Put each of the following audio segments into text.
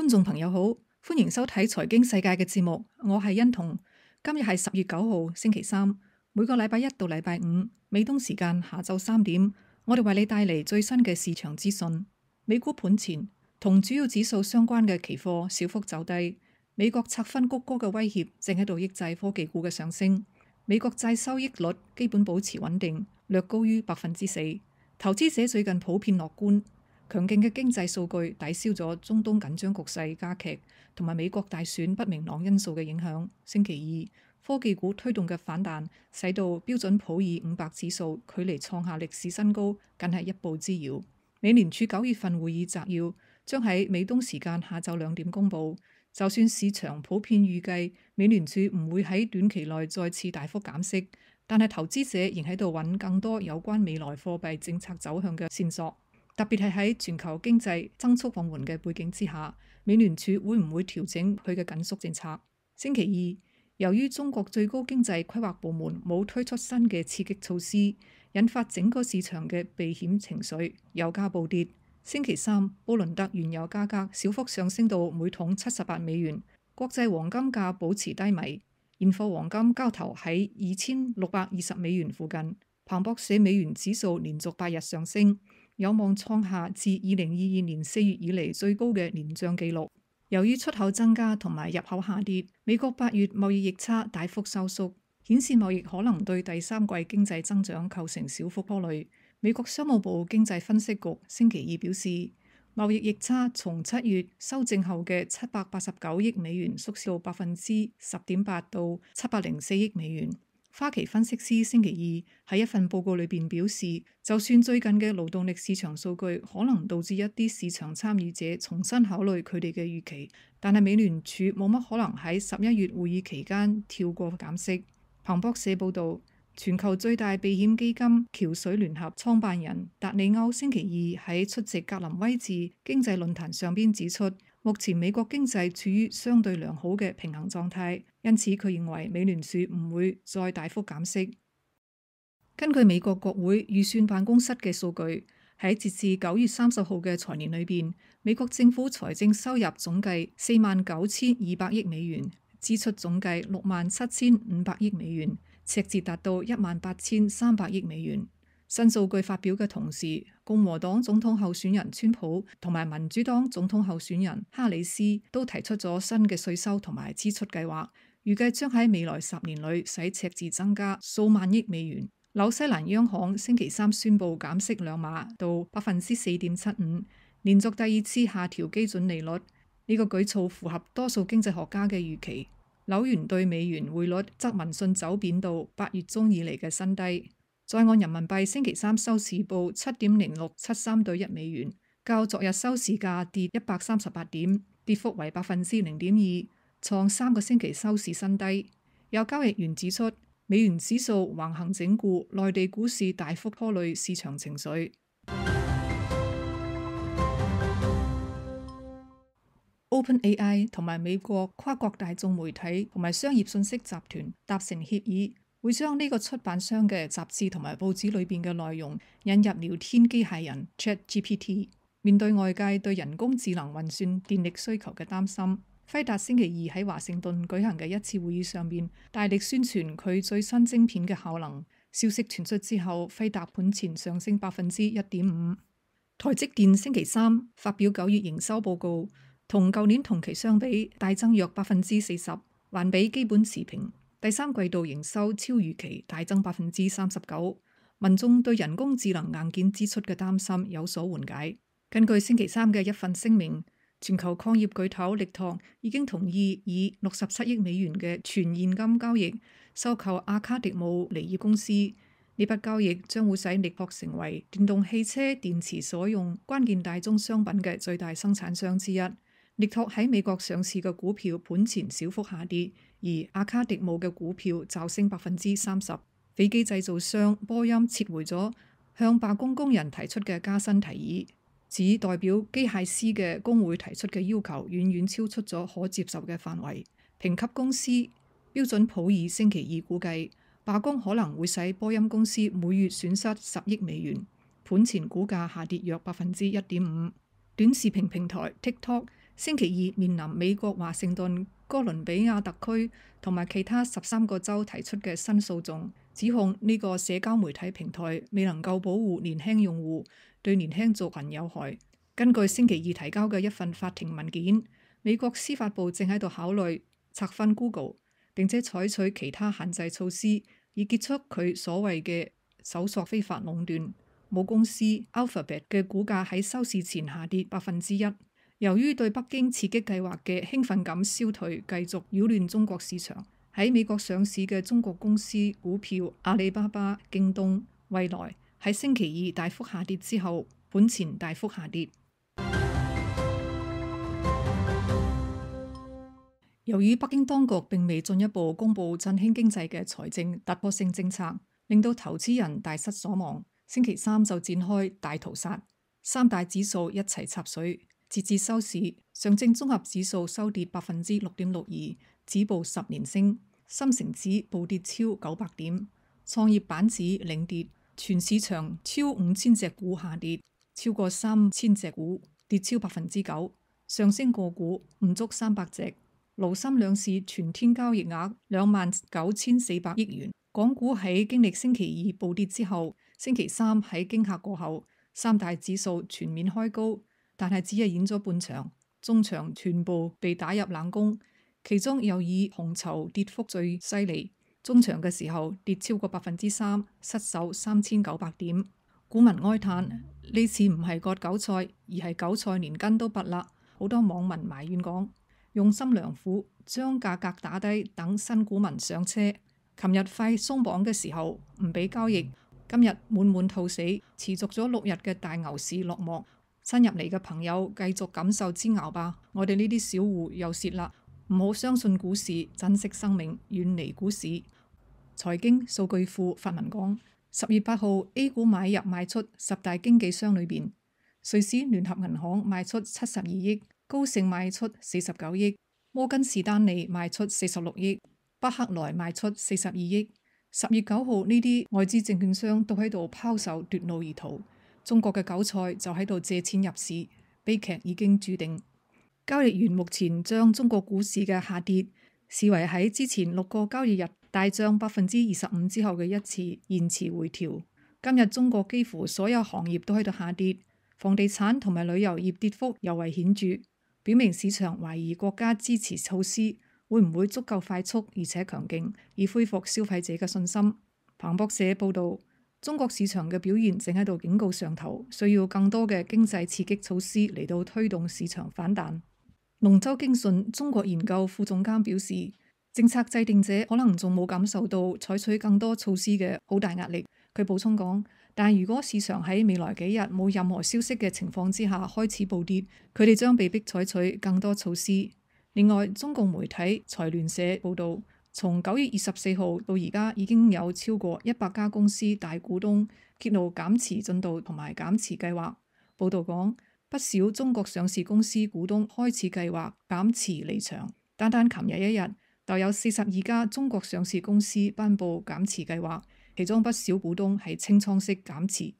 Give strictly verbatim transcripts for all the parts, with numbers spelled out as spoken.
觀眾朋友好，歡迎收睇財經世界嘅節目，我係欣彤。今日係十月九號星期三，每個禮拜一到禮拜五，美東時間下晝三點，我哋為你帶嚟最新嘅市場資訊。美股盤前，同主要指數相關嘅期貨小幅走低，美國拆分谷歌嘅威脅正喺度抑制科技股嘅上升。美國債收益率基本保持穩定，略高於百分之四。投資者最近普遍樂觀。強勁嘅經濟數據抵消咗中東緊張局勢加劇同埋美國大選不明朗因素嘅影響。星期二，科技股推動嘅反彈，使到標準普爾五百指數距離創下歷史新高僅係一步之遙。美聯儲九月份會議摘要將喺美東時間下晝兩點公佈。就算市場普遍預計美聯儲唔會喺短期內再次大幅減息，但係投資者仍喺度揾更多有關未來貨幣政策走向嘅線索。特別係喺全球經濟增速放緩嘅背景之下，美聯儲會唔會調整佢嘅緊縮政策？星期二，由於中國最高經濟規劃部門冇推出新嘅刺激措施，引發整個市場嘅避險情緒，油價暴跌。星期三，布倫特原油價格小幅上升到每桶七十八美元，國際黃金價保持低迷，現貨黃金交投喺二千六百二十美元附近。彭博社美元指數連續八日上升，有望創下自二零二二年四月以嚟最高嘅年漲紀錄。由於出口增加同埋入口下跌，美國八月貿易逆差大幅收縮，顯示貿易可能對第三季經濟增長構成小幅拖累。美國商務部經濟分析局星期二表示，貿易逆差從七月修正後嘅七百八十九億美元縮小到百分之十點八到七百零四億美元。花旗分析師星期二喺一份報告裏邊表示，就算最近嘅勞動力市場數據可能導致一啲市場參與者重新考慮佢哋嘅預期，但係美聯儲冇乜可能喺十一月會議期間跳過減息。彭博社報導，全球最大避險基金橋水聯合創辦人達里歐星期二喺出席格林威治經濟論壇上邊指出，目前美國經濟處於相對良好嘅平衡狀態，因此佢認為美聯儲唔會再大幅減息。根據美國國會預算辦公室嘅數據，喺截至九月三十號嘅財年裏邊，美國政府財政收入總計四萬九千二百億美元，支出總計六萬七千五百億美元，赤字達到一萬八千三百億美元。新數據發表嘅同時，共和黨總統候選人川普同埋民主黨總統候選人哈里斯都提出咗新嘅稅收同埋支出計劃，預計將喺未來十年裏使赤字增加數萬億美元。紐西蘭央行星期三宣布減息兩碼到百分之四點七五，連續第二次下調基準利率。呢、這個舉措符合多數經濟學家嘅預期。紐元對美元匯率則聞訊走貶到八月中以嚟嘅新低。在岸人民幣星期三收市報七點零六七三對一美元，較昨日收市價跌一百三十八點，跌幅為百分之零點二，創三個星期收市新低。有交易員指出，美元指數橫行整固，內地股市大幅拖累市場情緒。OpenAI 同埋美國跨國大眾媒體同埋商業信息集團達成協議，會將呢個出版商嘅雜誌同埋報紙裏邊嘅內容引入聊天機械人 ChatGPT。面對外界對人工智能運算電力需求嘅擔心，輝達星期二喺華盛頓舉行嘅一次會議上面大力宣傳佢最新晶片嘅效能。消息傳出之後，輝達盤前上升百分之一點五。台積電星期三發表九月營收報告，同舊年同期相比大增約百分之四十，環比基本持平。第三季度營收超預期，大增百分之三十九。民眾對人工智能硬件支出嘅擔心有所緩解。根據星期三嘅一份聲明，全球礦業巨頭力拓已經同意以六十七億美元嘅全現金交易收購阿卡迪姆尼爾公司。呢筆交易將會使力拓成為電動汽車電池所用關鍵大宗商品嘅最大生產商之一。力拓喺美國上市嘅股票盤前小幅下跌，而阿卡迪姆嘅股票驟升百分之三十。飛機製造商波音撤回咗向罷工工人提出嘅加薪提議，指代表機械師嘅工會提出嘅要求遠遠超出咗可接受嘅範圍。評級公司標準普爾星期二估計，罷工可能會使波音公司每月損失十億美元，盤前股價下跌約百分之一點五。短視頻平台 TikTok 星期二面臨美國華盛頓、哥倫比亞特區同埋其他十三個州提出嘅新訴訟，指控呢個社交媒體平台未能夠保護年輕用戶，對年輕族群有害。根據星期二提交嘅一份法庭文件，美國司法部正喺度考慮拆分 Google， 並且採取其他限制措施，以結束佢所謂嘅搜索非法壟斷。母公司 Alphabet 嘅股價喺收市前下跌百分之一。由於對北京刺激計劃嘅興奮感消退，繼續擾亂中國市場。喺美國上市嘅中國公司股票阿里巴巴、京東、蔚來喺星期二大幅下跌之後，盤前大幅下跌。由於北京當局並未進一步公布振興經濟嘅財政突破性政策，令到投資人大失所望。星期三就展開大屠殺，三大指數一齊插水。截至收市，上證綜合指數收跌百分之六點六二，止報十年升；深成指暴跌超九百點，創業板指領跌。全市場超五千隻股下跌，超過三千隻股跌超百分之九，上升個股唔足三百隻。滬深兩市全天交易額兩萬九千四百億元。港股喺經歷星期二暴跌之後，星期三喺驚嚇過後，三大指數全面開高，但係只係演咗半場，中場全部被打入冷宮。其中又以紅籌跌幅最犀利，中場嘅時候跌超過百分之三，失守三千九百點。股民哀嘆呢次唔係割韭菜，而係韭菜連根都拔啦。好多網民埋怨講，用心良苦，將價格打低，等新股民上車。琴日快鬆綁嘅時候唔俾交易，今日滿滿兔死，持續咗六日嘅大牛市落幕。新入嚟嘅朋友繼續感受煎熬吧，我哋呢啲小戶又蝕啦。唔好相信股市，珍惜生命，遠離股市。財經數據庫發文講，十月八號 A 股買入賣出十大經紀商裏邊，瑞士聯合銀行賣出七十二億，高盛賣出四十九億，摩根士丹利賣出四十六億，巴克萊賣出四十二億。十月九號呢啲外資證券商都喺度拋售奪路而逃，中國嘅韭菜就喺度借錢入市，悲劇已經注定。交易員目前將中國股市嘅下跌視為喺之前六個交易日大漲百分之二十五之後嘅一次延遲回調。今日中國幾乎所有行業都喺度下跌，房地產同埋旅遊業跌幅尤為顯著，表明市場懷疑國家支持措施會唔會足夠快速而且強勁，以恢復消費者嘅信心。彭博社報道，中國市場嘅表現正喺度警告上頭，需要更多嘅經濟刺激措施嚟到推動市場反彈。龍舟經訊中國研究副總監表示，政策制定者可能仲冇感受到採取更多措施嘅好大壓力。佢補充講，但如果市場喺未來幾日冇任何消息嘅情況之下開始暴跌，佢哋將被迫採取更多措施。另外，中共媒體財聯社報道，從九月二十四號到而家已經有超過一百家公司大股東揭露減持進度同埋減持計劃。報道講，不少中國上市公司股東開始計劃減持離場，單單琴日一日就有四十二家中國上市公司頒布減持計劃，其中不少股東係清倉式減持。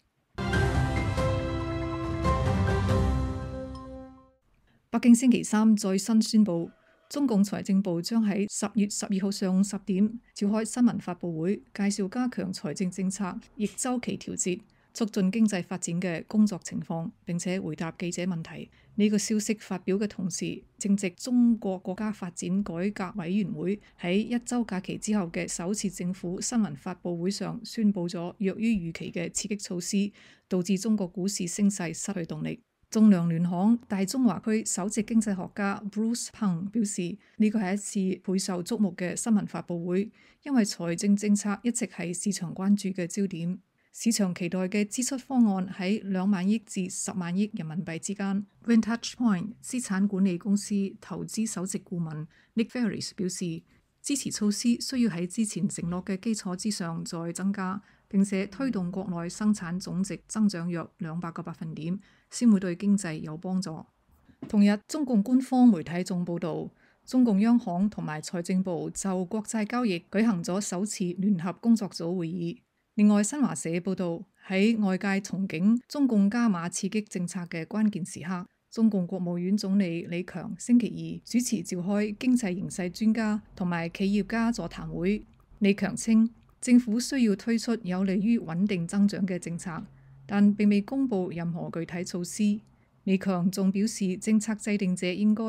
北京星期三再新宣布，中共財政部將喺十月十二號上午十點召開新聞發佈會，介紹加強財政政策逆週期調節、促進經濟發展嘅工作情況，並且回答記者問題。呢、這個消息發表嘅同時，正值中國國家發展改革委員會喺一週假期之後嘅首次政府新聞發佈會上宣布咗弱於預期嘅刺激措施，導致中國股市升勢失去動力。仲量聯行大中華區首席經濟學家 Bruce Pang 表示，呢個係一次備受矚目嘅新聞發佈會，因為財政政策一直係市場關注嘅焦點。市場期待嘅支出方案喺兩萬億至十萬億人民幣之間。Vantage Point 資產管理公司投資首席顧問 Nick Ferris 表示，支持措施需要喺之前承諾嘅基礎之上再增加，並且推動國內生產總值增長約兩百個百分點，先會對經濟有幫助。同日，中共官方媒體仲報導，中共央行同埋財政部就國債交易舉行咗首次聯合工作組會議。另外，新華社報導，喺外界憧憬中共加碼刺激政策嘅關鍵時刻，中共國務院總理李強星期二主持召開經濟形勢專家同埋企業家座談會。李強稱，政府需要推出有利於穩定增長嘅政策，但並未公布任何具體措施。李強仲表示，政策制定者應該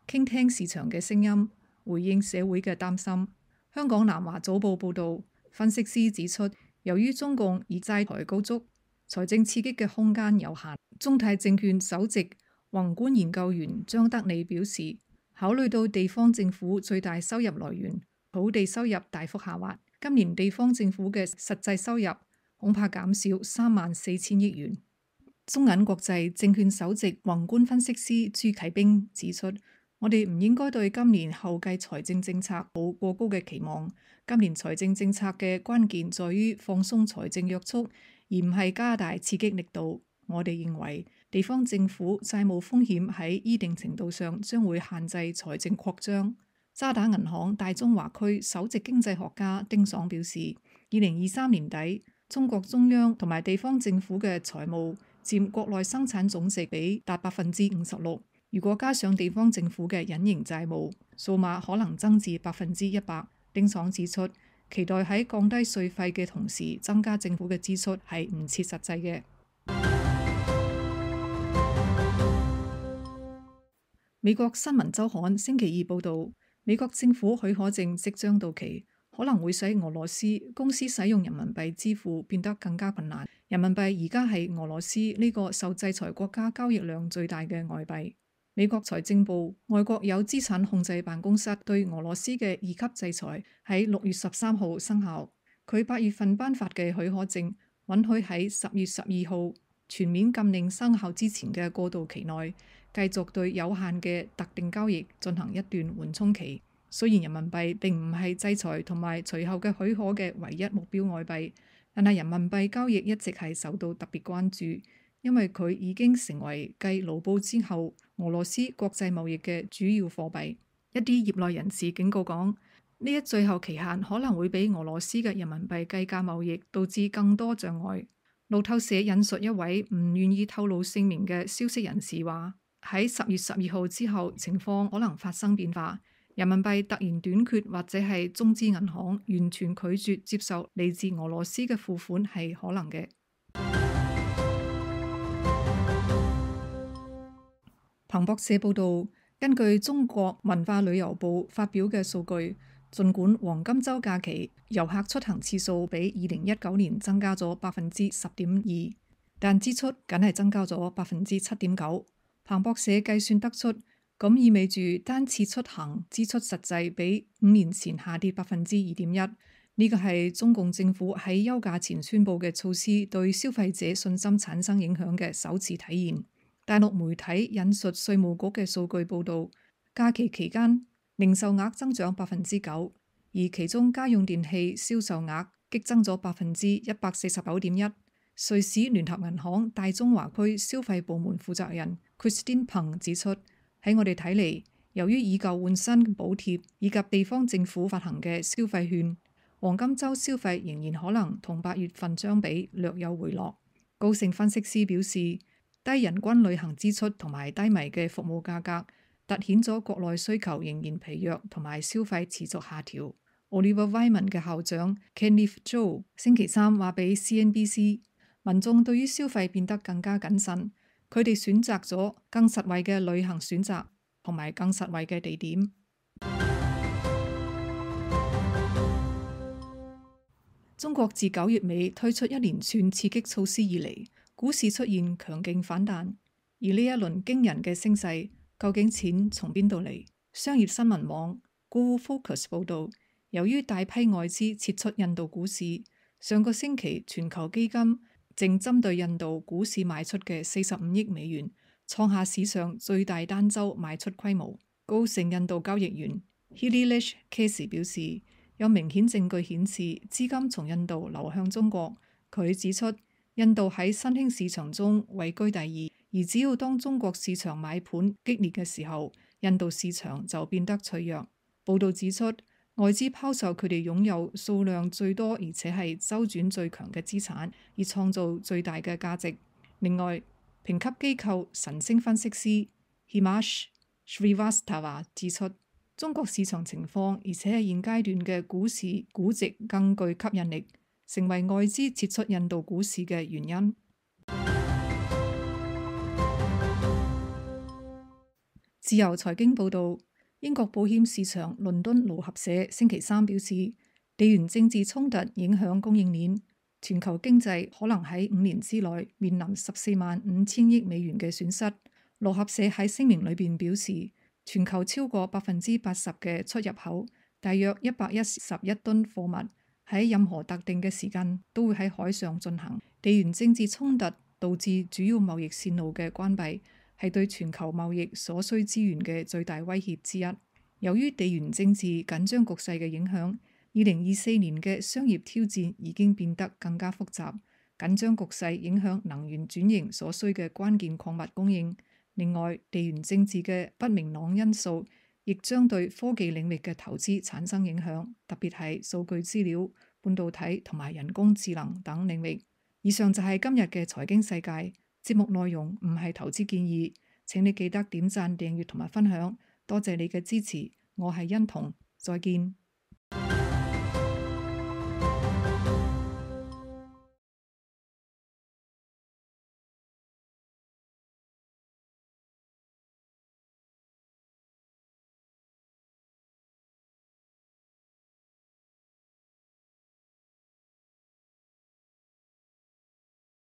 傾聽市場嘅聲音，回應社會嘅擔心。香港南華早報報導，分析師指出，由於中共以債台高築，財政刺激嘅空間有限。中泰證券首席宏觀研究員張德利表示，考慮到地方政府最大收入來源土地收入大幅下滑，今年地方政府嘅實際收入恐怕減少三萬四千億元。中銀國際證券首席宏觀分析師朱啟兵指出，我哋唔應該對今年後繼財政政策抱過高嘅期望。今年財政政策嘅關鍵在於放鬆財政約束，而唔係加大刺激力度。我哋認為地方政府債務風險喺一定程度上將會限制財政擴張。渣打銀行大中華區首席經濟學家丁爽表示，二零二三年底中國中央同埋地方政府嘅財務佔國內生產總值比達百分之五十六。如果加上地方政府嘅隱形債務，數碼可能增至百分之一百。丁爽指出，期待喺降低稅費嘅同時增加政府嘅支出係唔切實際嘅。美國新聞週刊星期二報導，美國政府許可證即將到期，可能會使俄羅斯公司使用人民幣支付變得更加困難。人民幣而家係俄羅斯呢個受制裁國家交易量最大嘅外幣。美國財政部外國有資產控制辦公室對俄羅斯嘅二級制裁喺六月十三號生效。佢八月份頒發嘅許可證允許喺十月十二號全面禁令生效之前嘅過渡期內，繼續對有限嘅特定交易進行一段緩衝期。雖然人民幣並唔係制裁同埋隨後嘅許可嘅唯一目標外幣，但係人民幣交易一直係受到特別關注，因為佢已經成為繼盧布之後俄羅斯國際貿易嘅主要貨幣。一啲業內人士警告講，呢一最後期限可能會俾俄羅斯嘅人民幣計價貿易導致更多障礙。路透社引述一位唔願意透露姓名嘅消息人士話，喺十月十二號之後情況可能發生變化，人民幣突然短缺或者係中資銀行完全拒絕接受嚟自俄羅斯嘅付款係可能嘅。彭博社報導，根據中國文化旅遊部發表嘅數據，儘管黃金週假期遊客出行次數比二零一九年增加咗百分之十點二，但支出僅係增加咗百分之七點九。彭博社計算得出，咁意味住單次出行支出實際比五年前下跌百分之二點一。呢個係中共政府喺休假前宣佈嘅措施對消費者信心產生影響嘅首次體現。大陸媒體引述稅務局嘅數據報導，假期期間零售額增長百分之九，而其中家用電器銷售額激增咗百分之一百四十九點一。瑞士聯合銀行大中華區消費部門負責人 Christine Peng 指出，喺我哋睇嚟，由於以舊換新補貼以及地方政府發行嘅消費券，黃金週消費仍然可能同八月份相比略有回落。高盛分析師表示，低人均旅行支出同埋低迷嘅服務價格，凸顯咗國內需求仍然疲弱同埋消費持續下調。Oliver Wyman 嘅校長 Kenneth Zhou 星期三話俾 C N B C， 民眾對於消費變得更加謹慎，佢哋選擇咗更實惠嘅旅行選擇同埋更實惠嘅地點。中國自九月尾推出一連串刺激措施以嚟，股市出現強勁反彈，而呢一輪驚人嘅升勢，究竟錢從邊度嚟？商業新聞網 Global Focus 報導，由於大批外資撤出印度股市，上個星期全球基金正針對印度股市賣出嘅四十五億美元，創下史上最大單週賣出規模。高盛印度交易員 Hililesh Casey 表示，有明顯證據顯示資金從印度流向中國。佢指出，印度喺新興市場中位居第二，而只要當中國市場買盤激烈嘅時候，印度市場就變得脆弱。報導指出，外資拋售佢哋擁有數量最多而且係周轉最強嘅資產，以創造最大嘅價值。另外，《評級機構晨星分析師 Himash Srivastava 指出，中國市場情況而且係現階段嘅股市估值更具吸引力，成為外資撤出印度股市嘅原因。自由財經報導，英國保險市場倫敦路合社星期三表示，地緣政治衝突影響供應鏈，全球經濟可能喺五年之內面臨十四萬五千億美元嘅損失。路合社喺聲明裏邊表示，全球超過百分之八十嘅出入口，大約一百一十一噸貨物喺任何特定嘅時間都會喺海上進行。地緣政治衝突導致主要貿易線路嘅關閉，係對全球貿易所需資源嘅最大威脅之一。由於地緣政治緊張局勢嘅影響，二零二四年嘅商業挑戰已經變得更加複雜。緊張局勢影響能源轉型所需嘅關鍵礦物供應。另外，地緣政治嘅不明朗因素亦將對科技領域嘅投資產生影響，特別係數據資料、半導體同埋人工智能等領域。以上就係今日嘅財經世界。節目內容唔係投資建議，請你記得點讚、訂閱同埋分享。多謝你嘅支持，我係欣彤，再見。